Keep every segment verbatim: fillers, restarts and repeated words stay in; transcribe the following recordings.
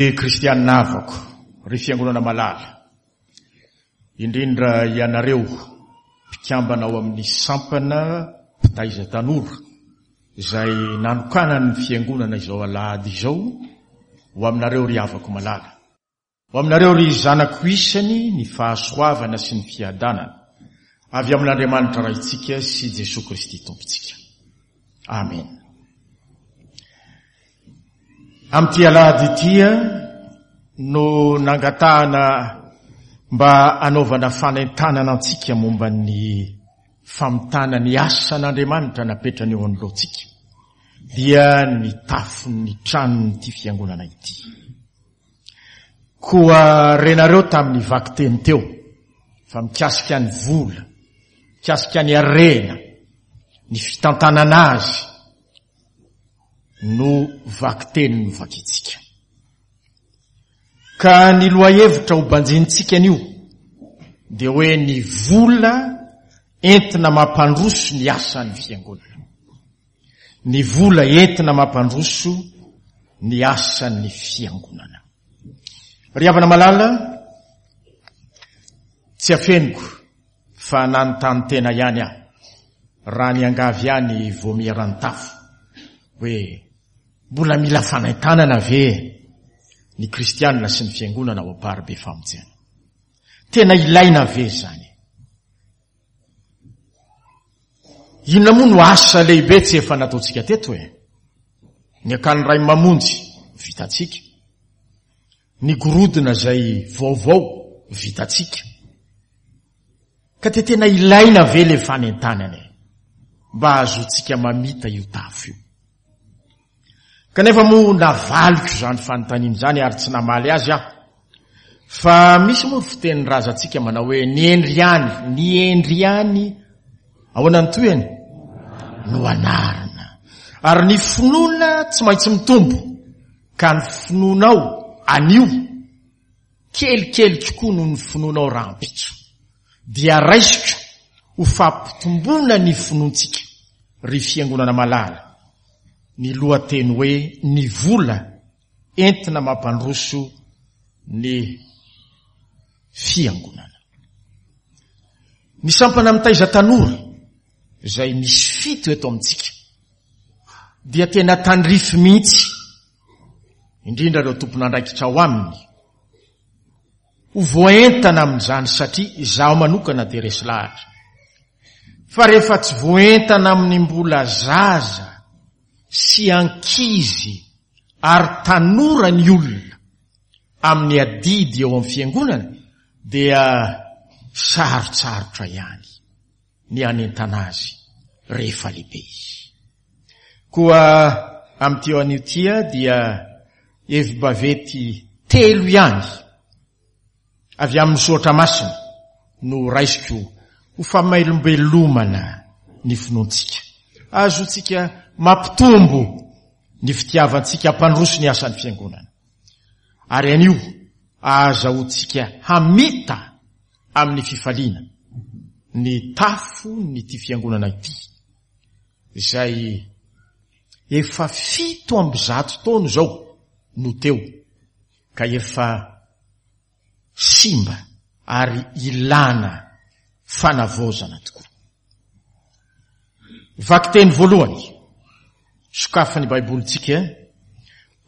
Kristianina havako, ry fiangonana malala, indrindra ianareo mpikambana ao amin'ny sampana mpitaiza tanora izay nanokanan'ny fiangonana izao alahady izao, ho aminareo ry havako malala. Ho aminareo ry zanako isany ny fahasoavana sy ny fiadanana avy amin'Andriamanitra Raintsika sy Jesoa Kristy Tompontsika. Amen. Amin'ity alahady ity no nangatahana mba hanaovana fanentanana antsika momba ny famitana ny asan'Andriamanitra napetrany eo anoloantsika, dia ny tafon'ny tranon'ity fiangonana ity. Koa renareo tamin'ny vakiteny teo fa mikasika ny vola, mikasika ny harena, ny fitantanana azy no vakiteny novakintsika. Ka ny lohahevitra ho banjinintsika anio dia hoe ny vola entina mampandroso ny asan'ny fiangonana. Ny vola entina mampandroso ny asan'ny fiangonana. Ry havana malala, tsy afeniko fa nanontany tena ihany aho raha niangavy ihany vaomieran'ny tafo hoe mbola mila fanentanana ve ny kristianina sy ny fiangonana ao Amparibe Famonjena? Tena ilaina ve izany? Inona moa no asa lehibe tsy efa nataontsika teto e? Ny akany Ray Mamonjy vitantsika, ny gorodona izay vaovao vitantsika. Ka te tena ilaina ve le fanentanana e? Mba hahazoantsika mamita io tafo io. Kanefa moa navaliko izany fanontaniana izany ary tsy namaly azy aho. Fa misy moa ny fitenin'ny razantsika manao hoe ny hendry ihany, ny hendry ihany, ahoana ny tohiny? No anarina. Ary ny finoana tsy maintsy mitombo, ka ny finoanao anio kelikely kokoa noho ny finoanao rahampitso. Dia raisiko ho fampitomboana ny finoantsika, ry fiangonana malala, ny lohateny hoe ny vola entina mampandroso ny fiangonana. Ny sampana mitaiza tanora izay misy fito eto amintsika dia tena tandrify mihitsy, indrindra ireo tompon'andraikitra ao aminy, ho voaentana amin'izany, satria izaho manokana dia resy lahatra fa rehefa tsy voaentana amin'ny mbola zaza sy ankizy ary tanora ny olona amin'ny adidy eo amin'ny fiangonana dia sarotsarotra ihany ny hanentana azy rehefa lehibe izy. Koa amin'ity anio ity dia hevi-baventy telo ihany avy amin'ny soratra masina no raisiko ho famelombelomana ny finoantsika, ahazoantsika mampitombo ny fitiavantsika hampandroso ny asan'ny fiangonana, ary anio ahazahoantsika hamita amin'ny fifaliana ny tafon'ity fiangonana ity izay efa fito amby zato taona izao no teo ka efa simba ary ilana fanavaozana tokoa. Vakiteny voalohany, sokafan'ny Baibolintsika,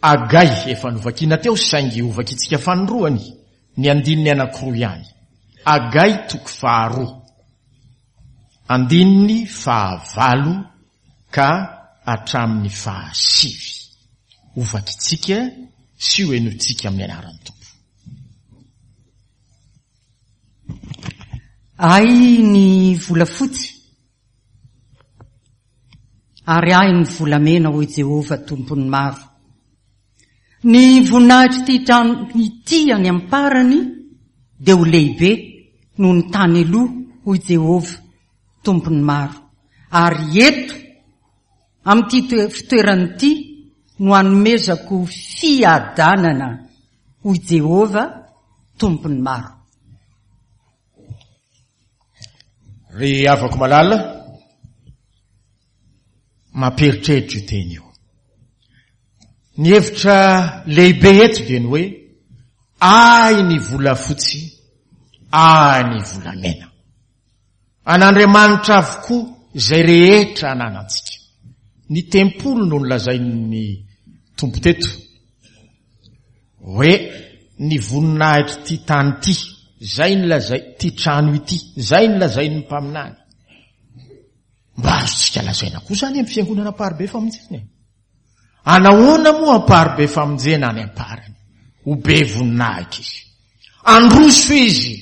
Agay efa novakiana teo saingy hovakintsika fanindroany ny andininy anankiroa ihany. Agay toko faharoa, andininy fahavalo ka hatramin'ny fahasivy. Hovakintsika sy hohenointsika amin'ny anaran'ny Tompo. Ahy ny volafotsy ary ahy ny volamena, hoy Jehovah Tompon'ny maro. Ny voninahitr'ity trano ity any am-parany dia ho lehibe noho ny tany aloha, hoy Jehovah Tompon'ny maro. Ary eto amin'ity fitoerana ity no hanomezako fiadanana, hoy Jehovah Tompon'ny maro. Ry havako malala, mampieritreritra io teny io. Ny hevitra lehibe eto dia ny hoe ahy ny volafotsy, ahy ny volamena. An'Andriamanitra avokoa izay rehetra ananantsika. Ny tempoly no nolazain'ny Tompo teto hoe ny voninahitry ity tany ity, izay nolazai ity trano ity, izay nolazain'ny mpaminany. Mba azontsika lazaina koa izany amin'ny fiangonana Amparibe Famonjena e. Anahoana moa Amparibe Famonjena any am-parany? Ho be voninahitra izy. Androso izy.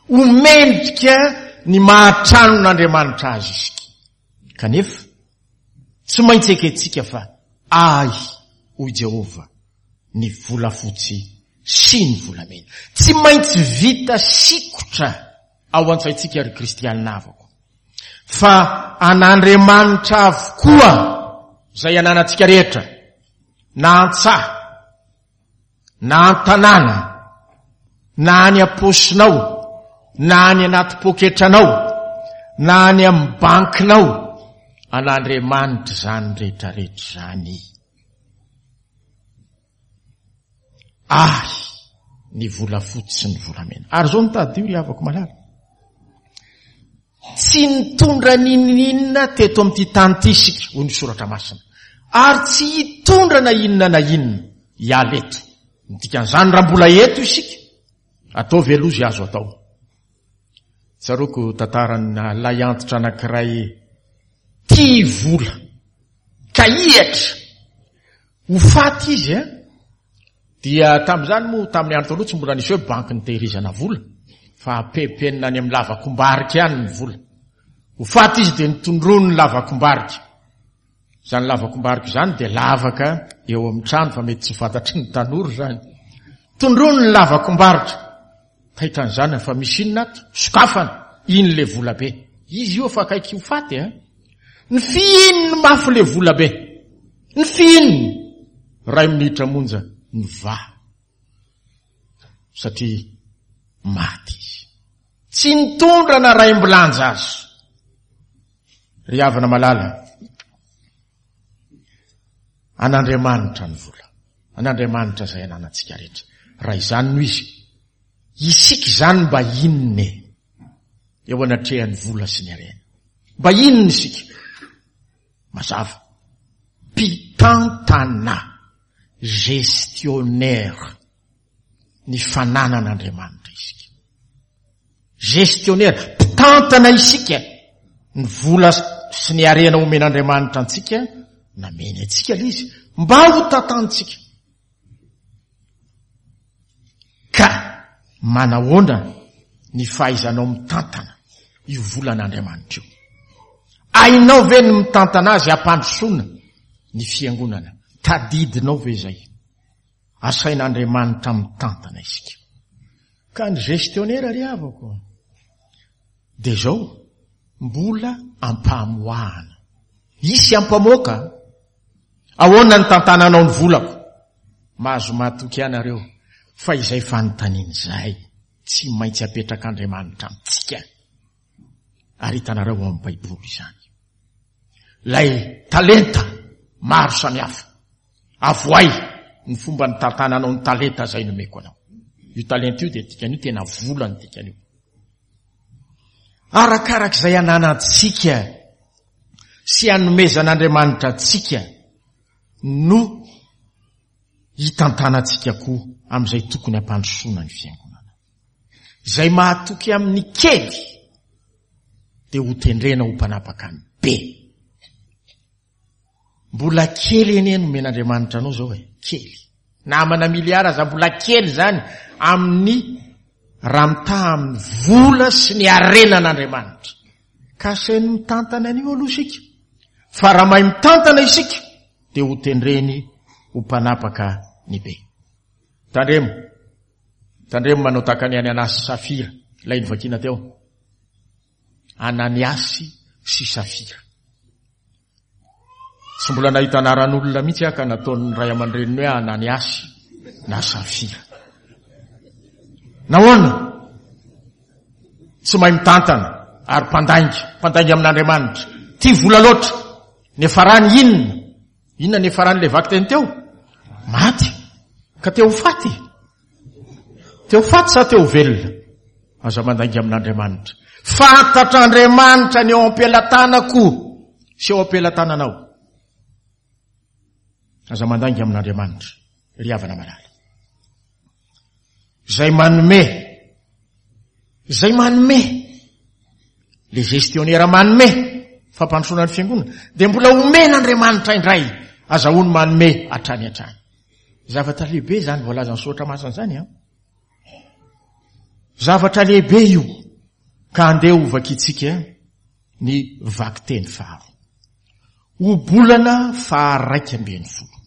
Ho mendrika ny mahatranon'Andriamanitra azy isika. Kanefa, tsy maintsy ekentsika fa ahy, hoy Jehovah, ny volafotsy sy ny volamena. Tsy maintsy vita sikotra ao an-tsaintsika ry kristianina havako. Fa an'Andriamanitra avokoa izay ananantsika rehetra, na an-tsaha, na an-tanàna, na any am-paosinao, na any anaty poketranao, na any amin'ny bankinao, an'Andriamanitra izany rehetrarehetra izany. Ahy ny volafotsy sy ny volamena. Ary izao no tadidio ry havako malala. Tsy nitondra n'inon'inona teto amin'ity tany ity isika, hoy ny soratra masina. Ary tsy hitondra na inona na inona hiala eto. Ny dikan'izany raha mbola eto isika, ataovy aloha izay azo atao. Tsaroako tantarana lahy antitra anankiray tia vola, ka hihatra. Ho faty izy, eh? Dia tamin'izany moa, tamin'ny andro taloha tsy mbola nisy hoe banky nitehirizana vola, fa apepenina any amin'ny lavakombarika ihany ny vola. Ho faty izy dia nitondroany ny lavakombarika. Izany lavakombarika izany dia lavaka eo amin'ny trano, fa mety tsy fantatry ny tanora izany. Tondroany ny lavakombarika. Taitra ny zanany fa misy inona ato? Sokafana, iny le vola be. Izy io efa akaiky ho faty, eh? Ny fihininy mafy le vola be. Ny fihininy. Iray minitra monja nivaha. Satria maty izy. Tsy nitondra na raim-bilanja azy. Ry havana malala, an'Andriamanitra ny vola. An'Andriamanitra izay ananantsika rehetra. Raha izany no izy, isika izany mba inona e? Eo anatrehan'ny vola sy ny harena. Mba inona isika? Mazava. Mpitantana, gestionnaire ny fananan'Andriamanitra isika. Gestionnaire, mpitantana isika ny vola sy ny harena omen'Andriamanitra antsika, nameny antsika ilay izy, mba ho tantantsika. Ka manahoana ny fahaizanao mitantana io volan'Andriamanitra io? Hainao ve ny mitantana azy hampandrosoana ny fiangonana? Tadidinao ve izay? Asain'Andriamanitra mitantana isika. Ka ny gestionnaire ry havako dia izao, mbola ampamoahana. Hisy ampamoaka. Ahoana ny tantananao ny volako? Mahazo matoky ianareo fa izay fanontaniana izay tsy maintsy apetrak'Andriamanitra amintsika. Ary hitanareo ao amin'ny Baiboly izany. Ilay talenta maro samihafa. Avoay ny fomba nitantananao ny talenta izay nomeko anao. Io talenta io dia dikan'io tena vola ny dikan'io. Arakarak'izay ananantsika sy anomezan'Andriamanitra antsika no hitantanantsika koa amin'izay tokony hampandrosoana ny fiangonana. Izay mahatoky amin'ny kely dia ho tendrena ho mpanapaka ny be. Mbola kely anie nomen'Andriamanitra anao izao e, kely. Namana miliara aza mbola kely izany amin'ny raha mitaha amin'ny vola sy ny harenan'Andriamanitra. Ka asainy mitantana an'io aloha isika. Fa raha mahay mitantana isika dia ho tendreny ho mpanapaka ny be. Tandremo. Tandremo manao tahaka ny Ananiasy sy Safira, ilay novakiana teo. Ananiasy sy Safira. Tsy mbola nahita anaran'olona mihitsy aho ka nataon'ny ray aman-dreniny hoe Ananiasy na Safira. Nahoana? Tsy mahay mitantana ary mpandainga, mpandainga amin'Andriamanitra. Tia vola loatra. Niafarany inona? Inona niafarany ilay vakiteny teo? Maty. Ka te ho faty. Te ho faty sa te ho velona? Aza mandainga amin'Andriamanitra. Fantatr'Andriamanitra ny eo am-pelatanako sy eo am-pelatananao. Aza mandainga amin'Andriamanitra, ry havana malala. Izay manome, izay manome, le gestionnaire manome fampandrosoana ny fiangonana, dia mbola omen'Andriamanitra indray, azahoany manome hatrany hatrany. Zavatra lehibe izany voalazan'ny soratra masina izany an. Zavatra lehibe io, ka andeha ho vakintsika ny vakiteny faharoa. Ohabolana faharaika ambin'ny folo.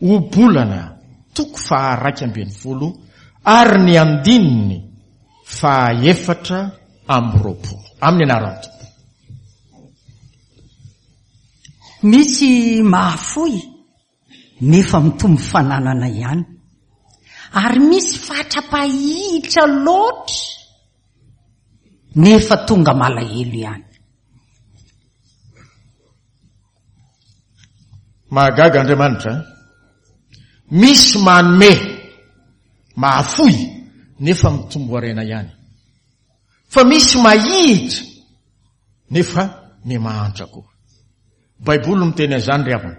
Ohabolana toko faharaika ambin'ny folo ary ny andininy fahaefatra amby roapolo. Amin'ny anaran'ny Tompo. Misy mahafoy nefa mitombo fananana ihany. Ary misy fatra-pahitra loatra nefa tonga malahelo ihany. Mahagaga Andriamanitra. Misy manome, mahafoy nefa mitombo harena ihany. Fa misy mahihitra nefa ny mahantra koa. Baiboly miteny an'izany ry havana.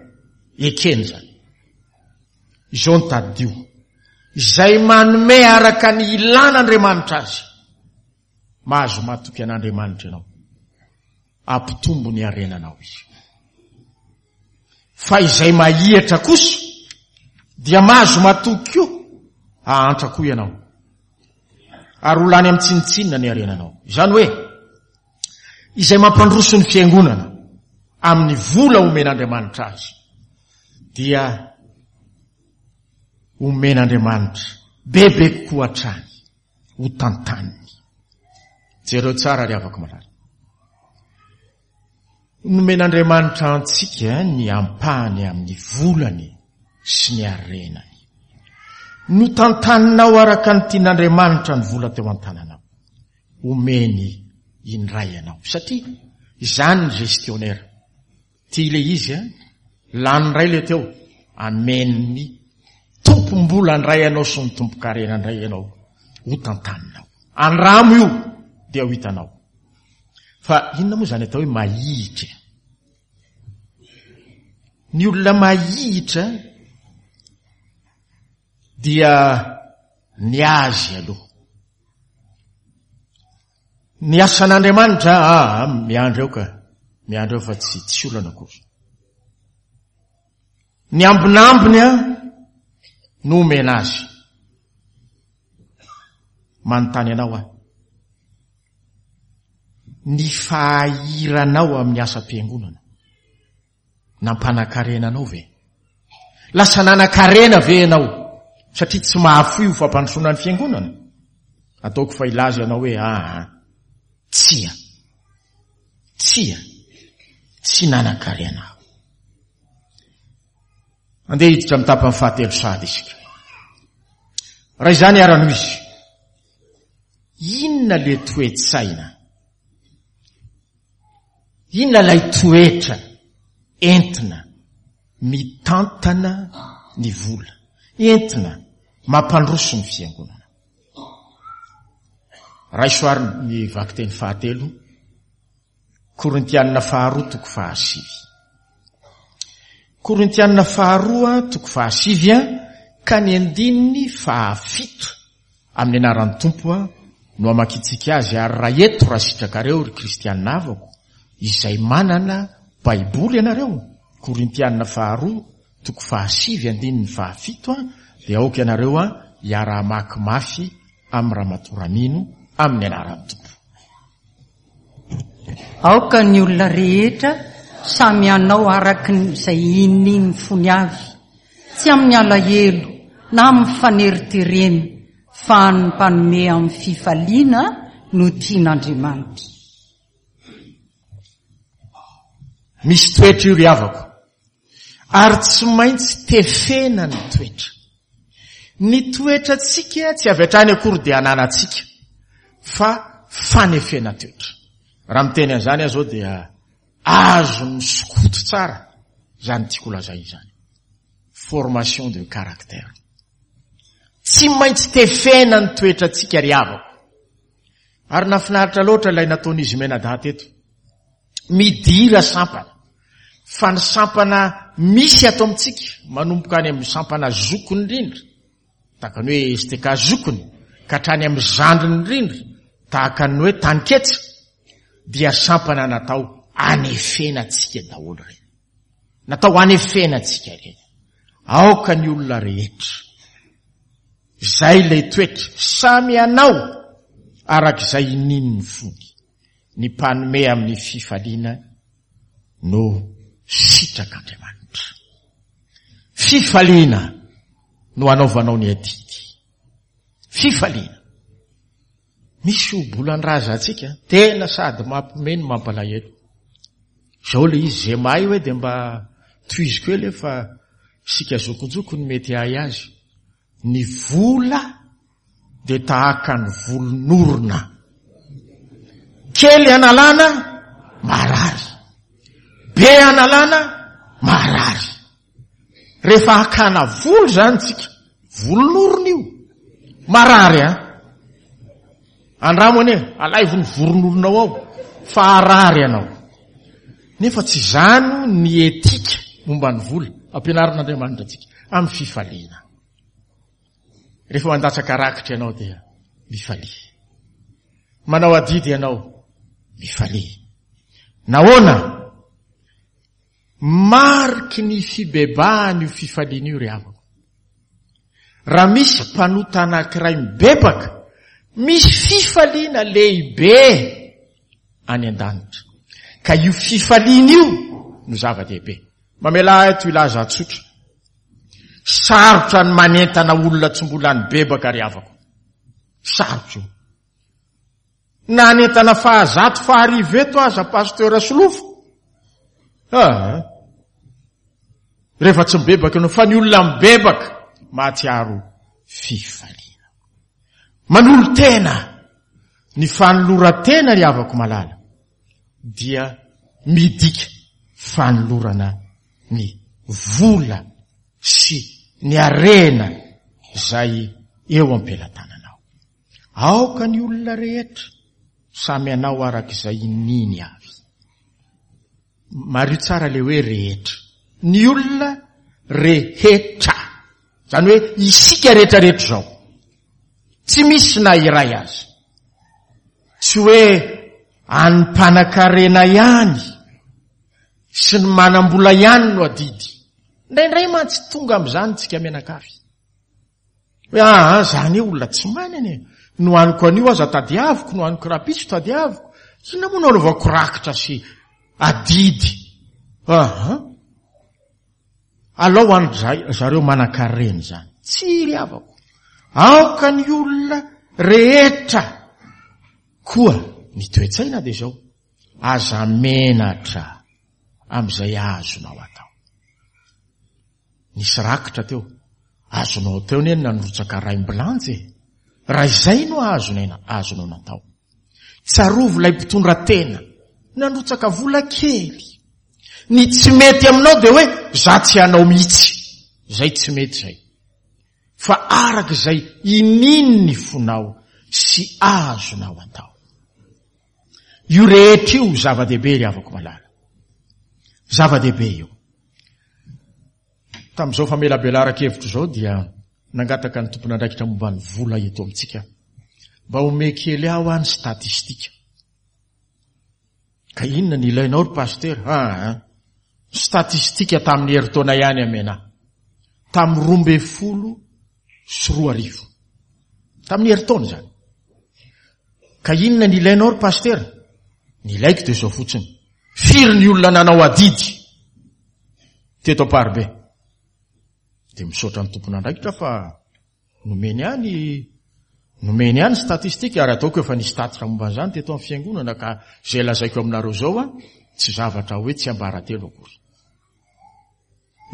Ekeny izany. Izao ny tadidio. Izay manome araka ny ilan'Andriamanitra azy. Mahazo matoky an'Andriamanitra ianao. Ampitombo ny harenanao izy. Fa izay mahihatra kosa dia mahazo matoky koa, hahantra koa ianao. Ary ho lany amin'ny tsinontsinona ny harenanao. Izany hoe izay mampandroso ny fiangonana amin'ny vola omen'Andriamanitra azy dia omen'Andriamanitra bebe kokoa hatrany ho tantaniny. Jereo tsara ry havako malala. Nomen'Andriamanitra antsika ny ampahany amin'ny volany sy ny harenany. Notantaninao araka ny tian'Andriamanitra ny vola teo an-tananao. Omeny indray ianao. Satria izany ny gestionnaire. Tia ilay izy, lany indray ilay teo. Amen'ny tompom-bola indray ianao sy ny tompon-karena indray ianao. Ho tantaninao. Andramo io dia ho hitanao. Fa inona moa izany atao hoe mahihitra? Ny olona mahihitra dia ny azy aloha. Ny asan'Andriamanitra, ah, miandry eo ka, miandry eo fa tsy, tsy olana akory. Ny ambinambiny a no omena azy. Manontany anao aho. Ny fahahiranao amin'ny asam-piangonana nampanakarena anao ve? Lasa nanakarena ve ianao satria tsy mahafoy ho fampandrosoana ny fiangonana? Ataoko fa hilaza ianao hoe ah, tsia, tsia, tsy nanakarena aho. Andeha hiditra amin'ny tapany fahatelo sady isika. Raha izany arano izy, inona le toe-tsaina? Inona ilay toetra entina mitantana ny vola, entina mampandroso ny fiangonana? Raiso ary ny vakiteny fahatelo, Korintianina faharoa toko fahasivy. Korintianina faharoa toko fahasivy ka ny andininy fahafito amin'ny anaran'ny Tompo no amakintsika azy. Ary raha eto raha sitrakareo ry kristianina havako izay manana Baiboly ianareo, Korintianina faharoa toko fahasivy andininy fahafito, dia aoka ianareo hiara-hamaky mafy amin'ny ramatoa Ramino amin'ny anaran'ny Tompo. Aoka ny olona rehetra samy hanao araka izay inian'ny fony avy, tsy amin'ny alahelo na amin'ny faneriterena, fa ny mpanome amin'ny fifaliana no tian'Andriamanitra. Misy toetra io ry havako, ary tsy maintsy tefena ny toetra. Ny toetratsika tsy avy hatrany akory dia ananantsika, fa fanefena toetra. Raha miteny an'izany aho zao dia azon'ny sokoto tsara izany tiako lazaina izany. Formation de caractère. Tsy maintsy tefena ny toetrantsika ry havako. Ary nafinaritra loatra ilay nataon'izy mianadahy teto. Midira sampana. Fa ny sampana misy ato amintsika, manomboka any amin'ny sampana zokiny indrindra, tahaka ny hoe S T K zokiny, ka hatrany amin'ny zandriny indrindra, tahaka ny hoe Taniketsa, dia sampana natao anefena antsika daholo ireny. Natao anefena antsika ireny. Aoka ny olona rehetra. Izay ilay toetra, samy anao arak'izay inian'ny fony. Ny mpanome amin'ny fifaliana no sitrak'Andriamanitra. Fifaliana no anaovanao ny adidy. Fifaliana. Misy obolan-drazantsika, tena sady mampime no mampalahelo. Izao ilay izy, izay mahay hoe dia mba tohiziko ela fa isika zokinjoko no mety hahay azy. Ny vola dia tahaka ny volon'orona. Kely analana, marary. Be analana, marary. Rehefa hakana volo zany tsika, volon'orona io, marary an. Andramo anie, alaivo ny voron'oronao ao, fa harary ianao. Nefa tsy izany ny etika momba ny vola ampianarin'Andriamanitra antsika amin'ny fifaliana. Rehefa mandatsaka rakitra ianao dia mifalia. Manao adidy ianao, mifalia. Nahoana? Mariky ny fibebahana io fifaliana io ry havako. Raha misy mpanota anankiray mibebaka, misy fifaliana lehibe any an-danitra. Ka io fifaliana io no zava-dehibe. Mamela ahy eto hilaza tsotra. Sarotra ny manentana olona tsy mbola nibebaka ry havako. Sarotra io. Na anentana fahazato faharivo eto aza pasteur Solofo. Ah. Rehefa tsy mibebaka ianao, fa ny olona mibebaka mahatsiaro fifaliana. Manolo-tena, ny fanoloran-tena ry havako malala dia midika fanolorana ny vola sy ny harena izay eo am-pelatananao. Aoka ny olona rehetra samy anao arak'izay iniany avy. Mariho tsara le hoe rehetra. Ny olona rehetra. Izany hoe isika rehetrarehetra izao. Tsy misy na iray aza. Tsy hoe an'ny mpanan-karena ihany sy ny manam-bola ihany no adidy. Indraindray mantsy tonga amin'izany tsika mianakavy. Hoe ah, zany hoe olona tsy manana e. No haniko an'io aza tadiaviko, no haniko rahampitso tadiaviko. Inona moa no anaovako rakitra sy adidy? Aha. Alao any zareo manan-karena izany. Tsy ry havako. Aoka ny olona rehetra. Koa ny toe-tsaina dia izao. Aza menatra amin'izay azonao atao. Nisy rakitra teo. Azonao teo anie ny nanrotsaka raim-bilanja e. Raha izay no azonao, azonao natao. Tsarovy ilay mpitondra tena. Nandrotsaka vola kely. Ny tsy mety aminao dia hoe za tsy hanao mihitsy. Izay tsy mety izay. Fa araka izay ininy ny fonao sy azonao atao. Io rehetra io zava-dehibe ry havako malala. Zava-dehibe io. Tamin'izao famelabelaran-kevitra izao dia nangataka ny tompon'andraikitra momba ny vola eto amintsika. Mba ome kely aho any statistika. Ka inona ny ilainao ry pasteur? Ah, statistika tamin'ny herintaona ihany amena. Tamin'ny roa ambin'ny folo sy roa arivo. Tamin'ny herintaona izany. Ka inona ny ilainao ry pasteur? Ny ilaiko dia izao fotsiny. Firy ny olona nanao adidy teto Amparibe? Dia misaotra ny tompon'andraikitra fa nomeny ihany, nomeny ihany statistika, ary ataoko efa nisy tatitra momba an'izany teto amin'ny fiangonana, ka izay lazaiko aminareo izao a, tsy zavatra hoe tsy ambaratelo akory.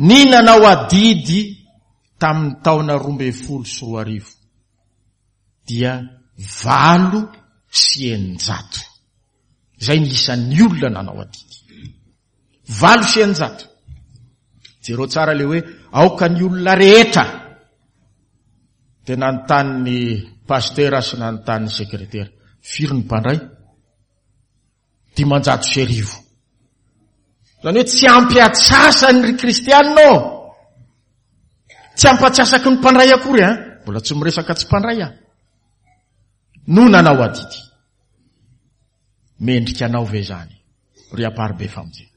Ny nanao adidy tamin'ny taona roa ambin'ny folo sy roa arivo dia valo sy eninjato. Izay ny isan'ny olona nanao adidy. Valo sy eninjato. Jereo tsara le hoe aoka ny olona rehetra. Dia nanontany ny pasteur sy nanontany ny sekretera. Firy ny mpandray? Dimanjato sy arivo. Zany hoe tsy ampy atsasany ry kristianina ô. Tsy ampy atsasaky ny mpandray akory an. Mbola tsy miresaka tsy mpandray aho. No nanao adidy. Mendrika anao ve zany ry Amparibe Famonjena?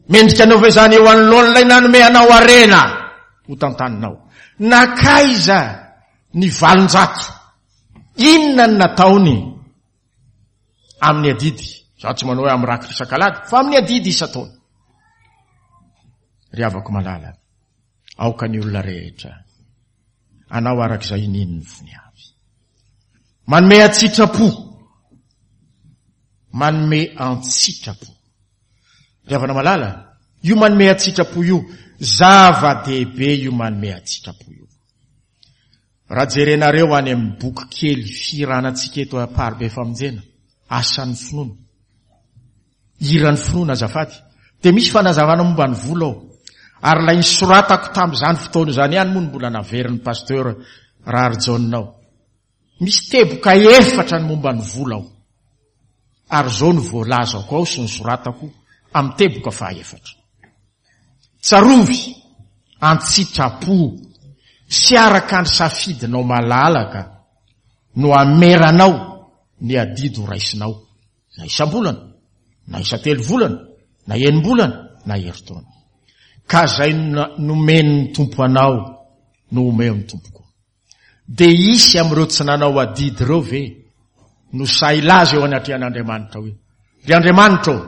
Mendrika anao ve zany eo anoloan'ilay nanome anao harena ho tantaninao? Nakaiza ny valonjato? Inona ny nataony amin'ny adidy? Za tsy manao hoe amin'ny rakitra isan-kalady, fa amin'ny adidy isan-taona. Ry havako malala, aoka ny olona rehetra anao arak'izay inian'ny fony avy. Manome an-tsitrapo. Manome an-tsitrapo. Ry havana malala, io manome an-tsitrapo io, zava-dehibe io manome an-tsitrapo io. Raha jerenareo any amin'ny boky kely fihiranantsika eto Amparibe Famonjena, asan'ny finoana, hiran'ny finoana azafady, dia misy fanazavana momba ny vola ao. Ary ilay nisoratako tamin'izany fotoana izany ihany moa no mbola naverin'ny pasteur Raharijaona ao. Misy teboka efatra ny momba ny vola ao. Ary izao no voalazako ao sy nisoratako amin'ny teboka fahaefatra. Tsarovy an-tsitrapo sy araka ny safidinao malalaka no ameranao ny adidy ho raisinao, na isam-bolana, na isan-telo volana, na enim-bolana, na herintaona. Ka izay nomen'ny Tompo anao no omeo ny Tompo koa. Dia hisy amin'ireo tsy nanao adidy ireo ve no sahy hilaza eo anatrehan'Andriamanitra hoe, ry Andriamanitra ô,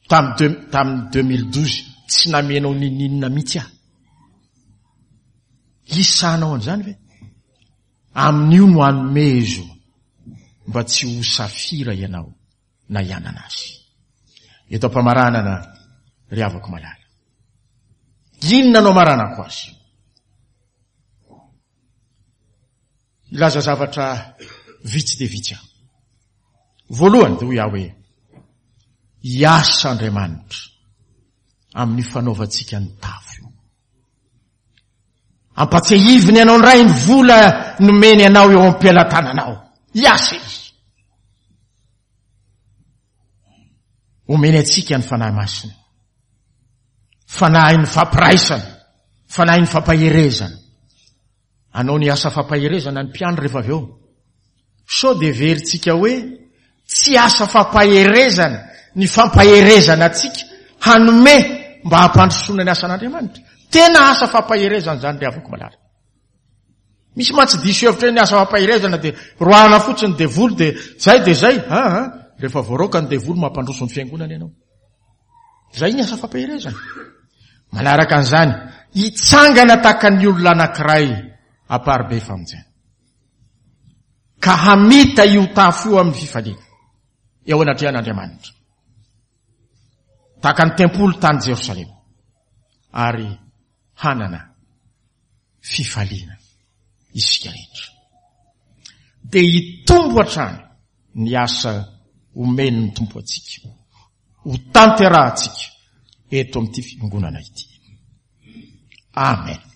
tamin'ny tamin'ny deux mille douze tsy namenao ninoninona mihitsy aho. Hisy sahanao an'izany ve? Amin'io no anomezo mba tsy ho safira ianao na hianana azy. Eto am-pamaranana ry havako malala. Inona no amaranako azy? Hilaza zavatra vitsy dia vitsy aho. Voalohany dia hoy aho hoe hiasa Andriamanitra amin'ny fanaovantsika ny tafo io. Ampatsiahiviny anao indray ny vola nomeny anao eo am-pelatananao. Hiasa izy. Omeny antsika ny Fanahy Masina. Fanahin'ny fampiraisana, fanahin'ny fampaherezana. Anao ny asa fampaherezana ny mpiandry rehefa avy eo. Sao dia heverintsika hoe tsy asa fampaherezana ny fampaherezana antsika hanome mba hampandrosoana ny asan'Andriamanitra. Tena asa fampaherezana izany ry havako malala. Misy mantsy diso hevitra hoe ny asa fampaherezana dia roahana fotsiny ny devoly dia zay dia zay. Ha, ha. Rehefa voaroaka ny devoly mampandroso ny fiangonana ianao. Zay ny asa fampaherezana. Manaraka an'izany, hitsangana tahaka ny olona anankiray Amparibe Famonjena. Ka hamita io tafo io amin'ny fifaliana eo anatrehan'Andriamanitra. Tahaka ny tempoly tany Jerosalema. Ary hanana fifaliana isika rehetra. Dia hitombo hatrany ny asa omen'ny Tompo antsika. Ho tanterahantsika eto amin'ity fiangonana ity. Amen.